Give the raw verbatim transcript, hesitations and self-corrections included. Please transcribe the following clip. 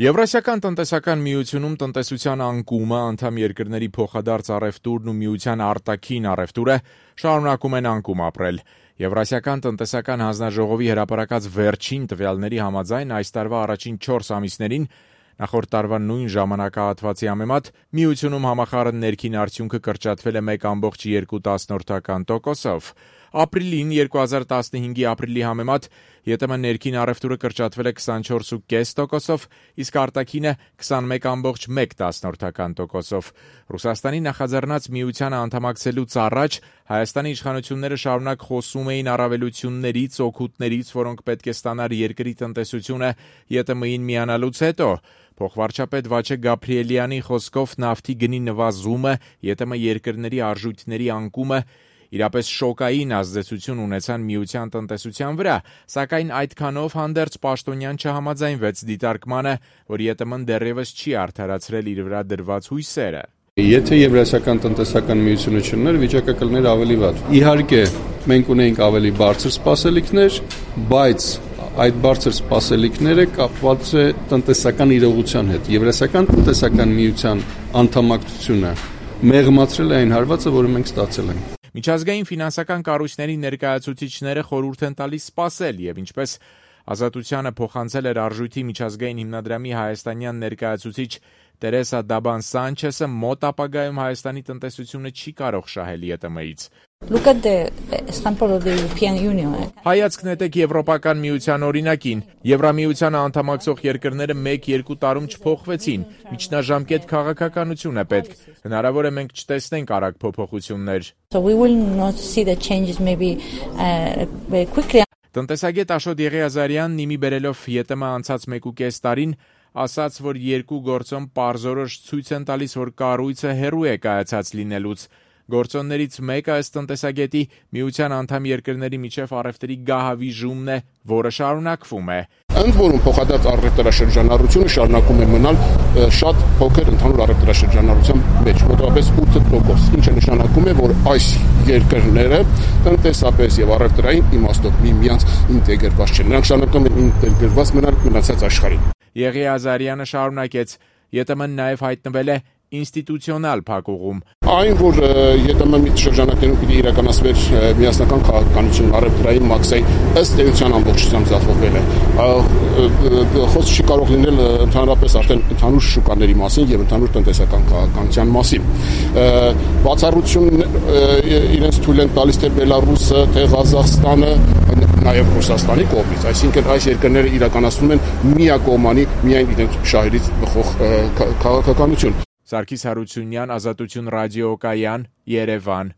Եվրասիական տնտեսական միությունում տնտեսության անկումը, անդամ երկրների փոխադարձ առևտուրն ու միության արտաքին առևտուրը շարունակում են անկում ապրել։ Եվրասիական տնտեսական հանձնաժողովի հրապարակած վերջին տվյալների համաձայն այս տարվա առաջին չորս ամիսներին նախորդ տարվա նույն ժամանակահատվածի համեմատ միությունում համախառն ներքին արդյունքը կրճատվել է մեկ կόμma երկու տոկոսով։ Ապրիլին երկու հազար տասնհինգի ապրիլի համեմատ ԵՏՄ ներքին առևտուրը կրճատվել է քսանչորս կόμma պենս տոկոսով, իսկ արտաքինը քսանմեկ կόμma մեկ տոկոսով։ Ռուսաստանի նախաձեռնած միությանը անդամակցելուց առաջ Հայաստանի իշխանությունները շարունակ խոսում էին առավելություններից, օգուտներից, որոնք պետք է ստանար երկրի տնտեսությունը ԵՏՄ-ին միանալուց հետո։ Փոխվարչապետ Վաչե Գաբրիելյանի խոսքով նավթի գնի նվազումը, ԵՏՄ երկրների արժույթների անկումը իրապես շոկային ազդեցություն ունեցան միության տնտեսության վրա, սակայն այդքանով հանդերձ Պաշտոնյան չհամաձայնվեց դիտարկմանը, որ ԵՏՄ-ն դեռևս չի արդարացրել իր վրա դրված հույսերը։ Եթե Եվրասիական տնտեսական միությունը չլիներ, վիճակը կլիներ ավելի վատ։ Իհարկե, մենք ունեինք ավելի բարձր սպասելիքներ, բայց այդ բարձր սպասելիքները կապված է տնտեսական իրողության հետ։ Եվրասիական տնտեսական միության անդամակցությունը մեղմացրել է այն հարվածը, որը մենք ստացել ենք։ Միջազգային ֆինանսական կառույցների ներկայացուցիչները խորհուրդ են տալիս սպասել եւ ինչպես Ազատությանը փոխանցել էր Արժույթի միջազգային հիմնադրամի հայաստանյան ներկայացուցիչ Տերեսա Դաբան Սանչեսը, մոտ ապագայում Հայաստանի տնտեսությունը չի կարող շահել ԵՏՄ-ից։ Look at the example of the European Union. Հայացք նետեք Եվրոպական միության օրինակին։ Եվրամիությանը անդամակցող երկրները մեկ-երկու տարում չփոխվեցին։ Միջնաժամկետ քաղաքականություն է պետք։ Հնարավոր է մենք չտեսնենք արագ փոփոխություններ։ So we will not see the changes maybe uh, very quickly. Տնտեսագետ Աշոտ Եղիազարյանն իմի բերելով ԵՏՄ անցած մեկուկես տարին ասաց, որ երկու գործոն պարզորոշ ցույց են տալիս, որ կառույցը հեռու է կայացած լինելուց։ Գործոններից մեկը ըստ տնտեսագետի միության անդամ երկրների միջև առևտրի գահավիժումն է, որը շարունակվում է։ Ընդ որում փոխադարձ առևտրաշրջանառությունը շարունակում է մնալ շատ փոքր ընդհանուր առևտրաշրջանառության մեջ, մոտավորապես ութ տոկոս, ինչը նշանակում է, որ այս երկրները տնտեսապես եւ առևտրային իմաստով միմյանց ինտեգրված չեն։ Նրանք շարունակում են ինտեգրված մնալ մնացած աշխարհին։ Եղիազարյանը շարունակեց. ԵՏՄ-ն նաև հայտնվել է ինստիտուցիոնալ փակուղում։ Այն, որ ԵՏՄ-ի շրջանակներում պիտի իրականացվեր միասնական քաղաքականություն առևտրային մաքսային ըստ էության ամբողջությամբ ձախողվել է։ Խոսք չի կարող լինել ընդհանրապես արդեն ընդհանուր շուկաների մասին եւ ընդհանուր տնտեսական քաղաքականության մասին։ Բացառություն իրենց թույլ են տալիս թե Բելարուսը, թե Ղազախստանը, նաեւ Ռուսաստանի կողմից, այսինքն այս երկրները իրականացնում են միակողմանի միայն իրենց շահերից բխող քաղաքականություն։ Սարգիս Հարությունյան, Ազատություն ռադիոկայան, Երևան։